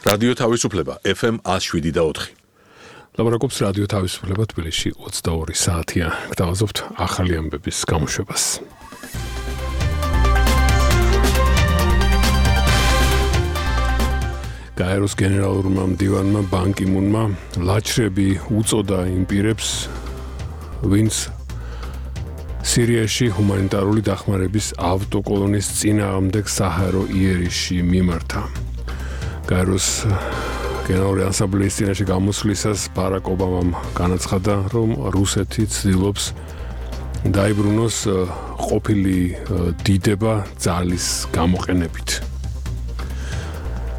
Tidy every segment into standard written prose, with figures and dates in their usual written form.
რადიო თავისუფლება FM 107.4. ლაპარაკობს რადიო თავისუფლება თბილისში 22 საათია. გთავაზობთ ახალი ამბების გამოშვებას. გაეროს გენერალურმა მდივანმა ბან კი მუნმა ლაჩრები უწოდა იმ პირებს, ვინც სირიაში ჰუმანიტარული დახმარების ავტოკოლონის წინააღმდეგ საჰაერო იერიშში მიმართა. გაეროს გენერალური ასამბლეის წინაშე გამოსვლისას ბარაკ ობამამ განაცხადა, რომ რუსეთი ცდილობს დაიბრუნოს ყოფილი დიდება ძალის გამოყენებით.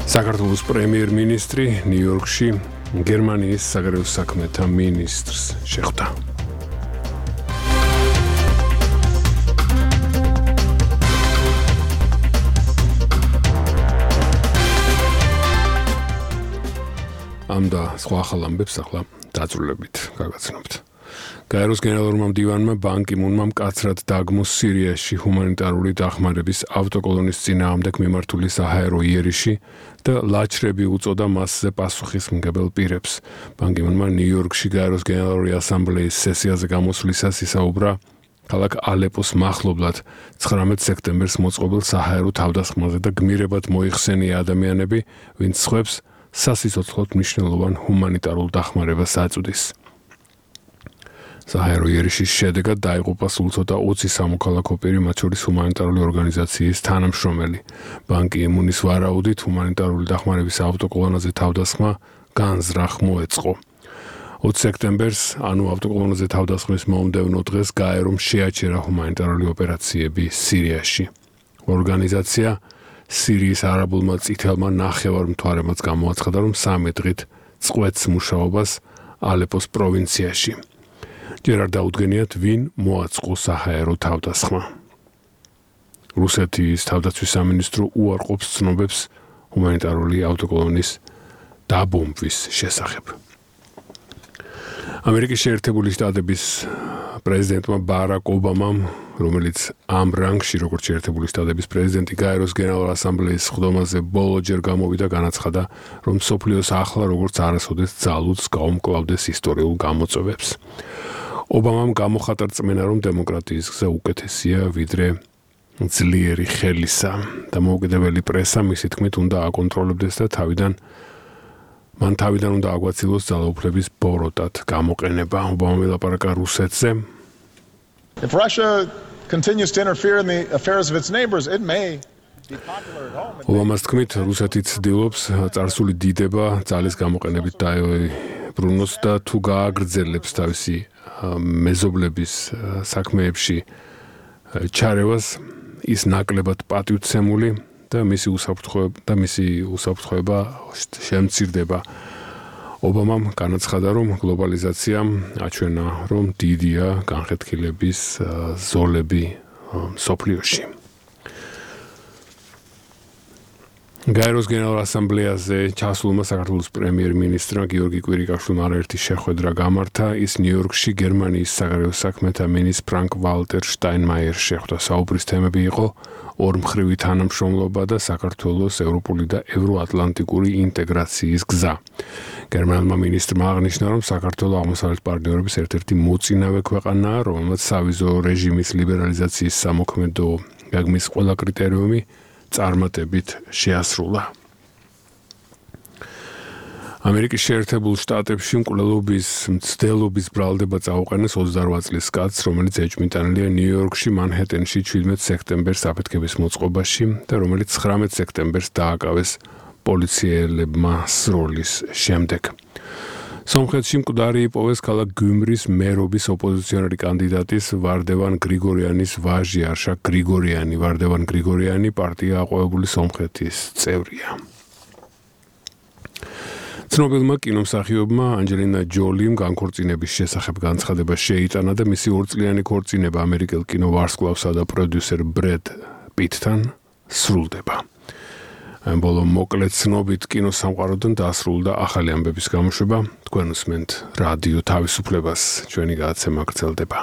საქართველოს პრემიერ-მინისტრი ნიუ-იორკში გერმანიის საგარეო საქმეთა მინისტრს შეხვდა. ამ და სხვა ახალ ამბებს ახლა დაწვრილებით გაგაცნობთ. გაეროს გენერალურმა მდივანმა ბან კი მუნმა მკაცრად დაგმოს სირიაში ჰუმანიტარული დახმარების ავტოკოლონის წინააღმდეგ მიმართული საჰაერო იერიში და ლაჩრები უწოდა მასზე პასუხისმგებელ პირებს. ბან კი მუნმა ნიუ-იორკში გაეროს გენერალური ასამბლეის სესიაზე გამოსვლისას ისაუბრა ქალაქ ალეპოს მახლობლად 19 სექტემბერს მოწყობილ საჰაერო თავდასხმაზე და გმირებად მოიხსენია ადამიანები, ვინც სხვებს სასიცოცხლოდ მნიშვნელოვან ჰუმანიტარულ დახმარებას აწვდის. საჰაერო იერიშის შედეგად დაიღუპა სულ ცოტა 20 სამოქალაქო პირი, მათ შორის ჰუმანიტარული ორგანიზაციის თანამშრომელი. ბან კი მუნის ვარაუდით ჰუმანიტარული დახმარების ავტოკოლონაზე თავდასხმა განზრახ მოეწყო. 20 სექტემბერს, ანუ ავტოკოლონაზე თავდასხმის მომდევნო დღეს გაერომ შეაჩერა ჰუმანიტარული ოპერაციები სირიაში. ორგანიზაცია სირიის არაბულმა წითელმა ნახევარმთვარემაც გამოაცხადა, რომ 3 დღით წყვეტს მუშაობას ალეპოს პროვინციაში. ჯერ არ დაუდგენიათ, ვინ მოაწყო საჰაერო თავდასხმა. რუსეთის თავდაცვის სამინისტრო უარყოფს ცნობებს ჰუმანიტარული ავტოკოლონის დაბომბვის შესახებ. ამერიკის შეერთებული შტატების პრეზიდენტმა ბარაკ ობამამ, რომელიც ამ რანგში, როგორც შეერთებული შტატების პრეზიდენტი, გაეროს გენერალურ ასამბლეის სხდომაზე ბოლოჯერ გამოვიდა, განაცხადა, რომ მსოფლიოს ახლა როგორც არასოდეს ძალუძს გაუმკლავდეს ისტორიულ გამოწვევებს. ობამამ გამოხატა რწმენა, რომ დემოკრატიის გზა უკეთესია ვიდრე ძლიერი ხელისა. დამოუკიდებელი პრესა მისი თქმით უნდა აკონტროლებდეს და მან თავიდან უნდა აგვაცილოს ძალაუფლების ბოროტად გამოყენება. ობამამ ელაპარაკა რუსეთზე. If Russia continues to interfere in the affairs of its neighbors, it may be popular at home. ობამას თქმით, რუსეთი ცდილობს წარსული დიდება ძალის გამოყენებით დაებრუნოს და თუ გააგრძელებს თავისი მეზობლების საქმეებში ჩარევას, ის ნაკლებად პატივცემული და მისი უსაფრთხოება შემცირდება. ობამამ განაცხადა, რომ გლობალიზაციამ აჩვენა, რომ დიდია განხეთქილების ზოლები მსოფლიოში. გაეროს გენერალურ ასამბლეაზე ჩასულმა საქართველოს პრემიერ-მინისტრმა გიორგი კვირიკაშვილმა არაერთი შეხვედრა გამართა. ის ნიუ-იორკში გერმანიის საგარეო საქმეთა მინისტრ ფრანკ ვალტერ შტაინმაიერს შეხვდა. საუბრის თემები იყო ორმხრივი თანამშრომლობა და საქართველოს ევროპული და ევროატლანტიკური ინტეგრაციის გზა. გერმანულმა მინისტრმა აღნიშნა, რომ საქართველო აღმოსავლეთ პარტნიორების ერთ-ერთი მოწინავე ქვეყანაა, რომელმაც სავიზო რეჟიმის ლიბერალიზაციის სამოქმედო გეგმის ყველა კრიტერიუმი წარმატებით შეასრულა. ამერიკის შეერთებულ შტატებში მკვლელობის მცდელობის ბრალდება წაუყენეს 28 წლის კაცს, რომელიც ეჭვმიტანილია ნიუ-იორკში მანჰეტენში 17 სექტემბერს აფეთქების მოწყობაში და რომელიც 19 სექტემბერს დააკავეს პოლიციელებმა სროლის შემდეგ. სომხეთში მკვდარი იპოვეს ქალაქ გიუმრის მერობის ოპოზიციონერი კანდიდატის ვარდევან გრიგორიანის ვაჟი არშაკ გრიგორიანი. ვარდევან გრიგორიანი პარტია აყვავებული სომხეთის წევრია. ცნობილმა კინომსახიობმა ანჯელინა ჯოლიმ განქორწინების შესახებ განცხადება შეიტანა და მისი 2 წლიანი ქორწინება ამერიკელ კინოვარსკვლავსა და პროდიუსერ ბრედ პიტთან სრულდება. ამ ბოლო მოკლე ცნობით კინოსამყაროდან დასრულდა ახალი ამბების გამოშვება. თქვენ უსმენთ რადიო თავისუფლებას. ჩვენი გადაცემა გრძელდება.